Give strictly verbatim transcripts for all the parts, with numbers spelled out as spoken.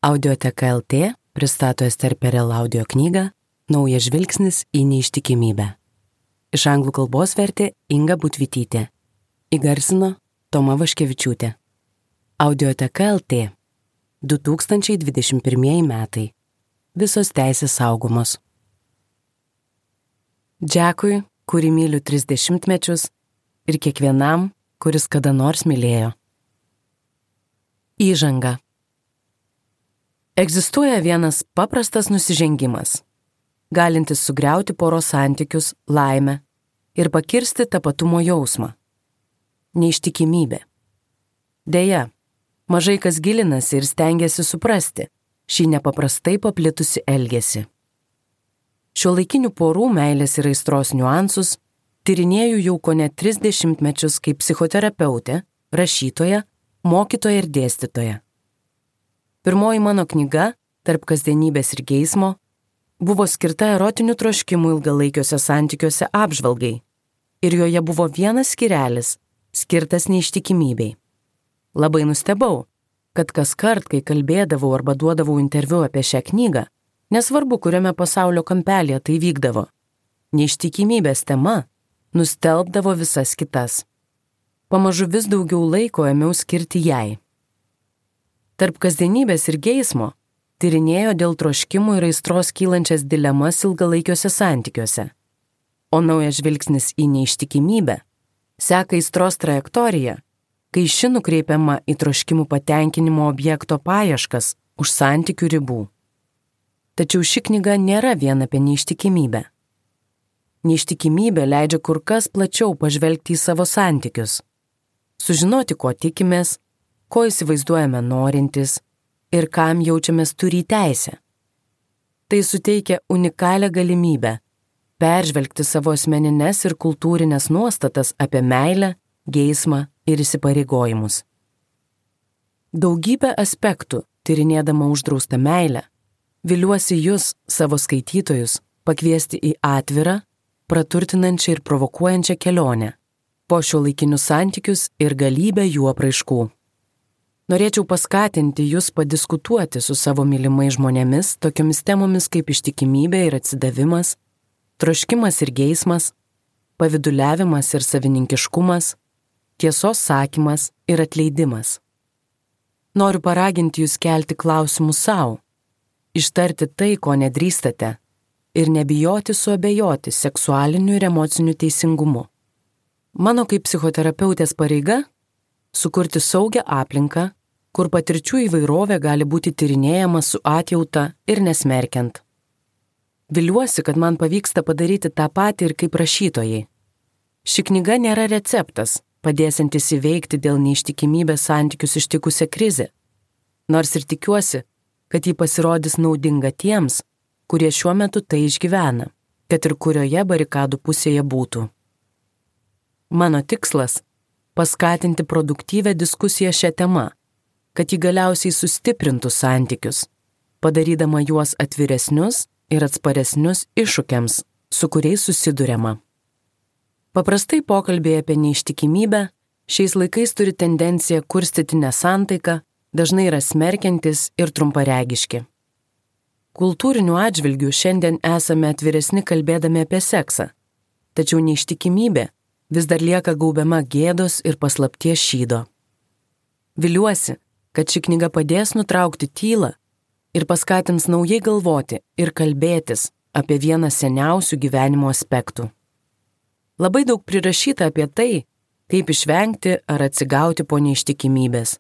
Audioteka L T pristato Ester Perel audio knygą Naujas žvilgsnis į neištikimybę. Iš anglų kalbos vertė Inga Butvitytė. Įgarsino Toma Vaškevičiūtė. Audioteka L T. du tūkstančiai dvidešimt pirmieji metai. Visos teisės saugomos. Džekui, kurį myliu tris dešimtmečius, ir kiekvienam, kuris kada nors mylėjo. Įžanga. Egzistuoja vienas paprastas nusižengimas, galintis sugriauti poros santykius, laimę ir pakirsti tapatumo jausmą. Neištikimybė. Deja, mažai kas gilinasi ir stengiasi suprasti šį nepaprastai paplitusi elgesį. Šiuolaikinių porų meilės ir aistros niuansus tyrinėju jau kone tris dešimtmečius kaip psichoterapeutė, rašytoja, mokytoja ir dėstytoja. Pirmoji mano knyga, Tarp kasdienybės ir geismo, buvo skirta erotinių troškimų ilgalaikiuose santykiuose apžvalgai ir joje buvo vienas skyrelis, skirtas neištikimybei. Labai nustebau, kad kaskart, kai kalbėdavau arba duodavau interviu apie šią knygą, nesvarbu, kuriame pasaulio kampelėje tai vykdavo, neištikimybės tema nustelbdavo visas kitas. Pamažu vis daugiau laiko ėmiau skirti jai. Tarp kasdienybės ir geismo tyrinėjo dėl troškimų ir aistros kylančias dilemas ilgalaikiuose santykiuose, o naujas žvilgsnis į neištikimybę seka aistros trajektoriją, kai ši nukreipiama į troškimų patenkinimo objekto paieškas už santykių ribų. Tačiau ši knyga nėra vien apie neištikimybę. Neištikimybė leidžia kur kas plačiau pažvelgti į savo santykius, sužinoti, ko tikimės, ko įsivaizduojame norintis ir kam jaučiamės turį teisę. Tai suteikia unikalią galimybę peržvelgti savo asmenines ir kultūrinės nuostatas apie meilę, geismą ir įsipareigojimus. Daugybę aspektų, tyrinėdama uždraustą meilę, viliuosi jūs, savo skaitytojus, pakviesti į atvirą, praturtinančią ir provokuojančią kelionę po šiuolaikinius santykius ir galybę jų apraiškų. Norėčiau paskatinti jūs padiskutuoti su savo mylimais žmonėmis tokiomis temomis kaip ištikimybė ir atsidavimas, troškimas ir geismas, paviduliavimas ir savininkiškumas, tiesos sakymas ir atleidimas. Noriu paraginti jūs kelti klausimus savo, ištarti tai, ko nedrįstate, ir nebijoti suabejoti seksualiniu ir emociniu teisingumu. Mano kaip psichoterapeutės pareiga – sukurti saugią aplinką, kur patirčių įvairovė gali būti tyrinėjama su atjauta ir nesmerkiant. Viliuosi, kad man pavyksta padaryti tą patį ir kaip rašytojai. Ši knyga nėra receptas, padėsiantis įveikti dėl neištikimybės santykius ištikusią krizę, nors ir tikiuosi, kad ji pasirodys naudinga tiems, kurie šiuo metu tai išgyvena, kad ir kurioje barikadų pusėje būtų. Mano tikslas – paskatinti produktyvę diskusiją šią temą, kad ji galiausiai sustiprintų santykius, padarydama juos atviresnius ir atsparesnius iššūkiams, su kuriais susiduriama. Paprastai pokalbiai apie neištikimybę šiais laikais turi tendenciją kurstyti nesantaiką, dažnai yra smerkiantis ir trumparegiški. Kultūriniu atžvilgiu šiandien esame atviresni kalbėdami apie seksą, tačiau neištikimybė vis dar lieka gaubiama gėdos ir paslapties šydo. Viliuosi, kad ši knyga padės nutraukti tylą ir paskatins naujai galvoti ir kalbėtis apie vieną seniausių gyvenimo aspektų. Labai daug prirašyta apie tai, kaip išvengti ar atsigauti po neištikimybės,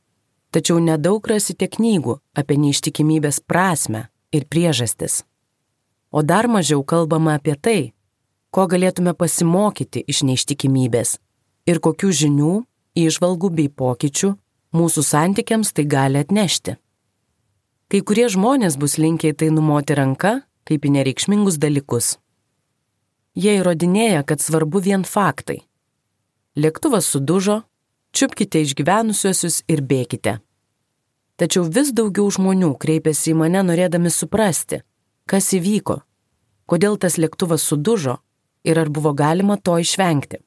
tačiau nedaug rasite knygų apie neištikimybės prasmę ir priežastis. O dar mažiau kalbama apie tai, ko galėtume pasimokyti iš neištikimybės ir kokių žinių, įžvalgų bei pokyčių mūsų santykiams tai gali atnešti. Kai kurie žmonės bus linkę į tai numoti ranka, kaip į nereikšmingus dalykus. Jie įrodinėja, kad svarbu vien faktai. Lėktuvas sudužo, čiupkite išgyvenusiuosius ir bėkite. Tačiau vis daugiau žmonių kreipiasi į mane norėdami suprasti, kas įvyko, kodėl tas lėktuvas sudužo ir ar buvo galima to išvengti.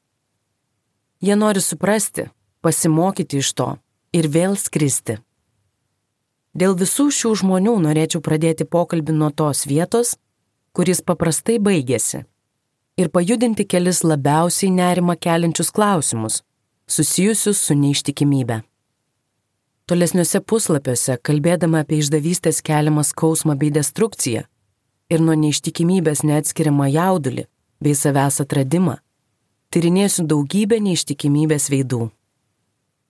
Jie nori suprasti, pasimokyti iš to ir vėl skristi. Dėl visų šių žmonių norėčiau pradėti pokalbį nuo tos vietos, kuris paprastai baigėsi, ir pajudinti kelis labiausiai nerimą keliančius klausimus, susijusius su neištikimybe. Tolesniuose puslapiuose, kalbėdama apie išdavystės keliamą skausmą bei destrukciją ir nuo neištikimybės neatskiriamą jaudulį bei savęs atradimą, tyrinėsiu daugybę neištikimybės veidų.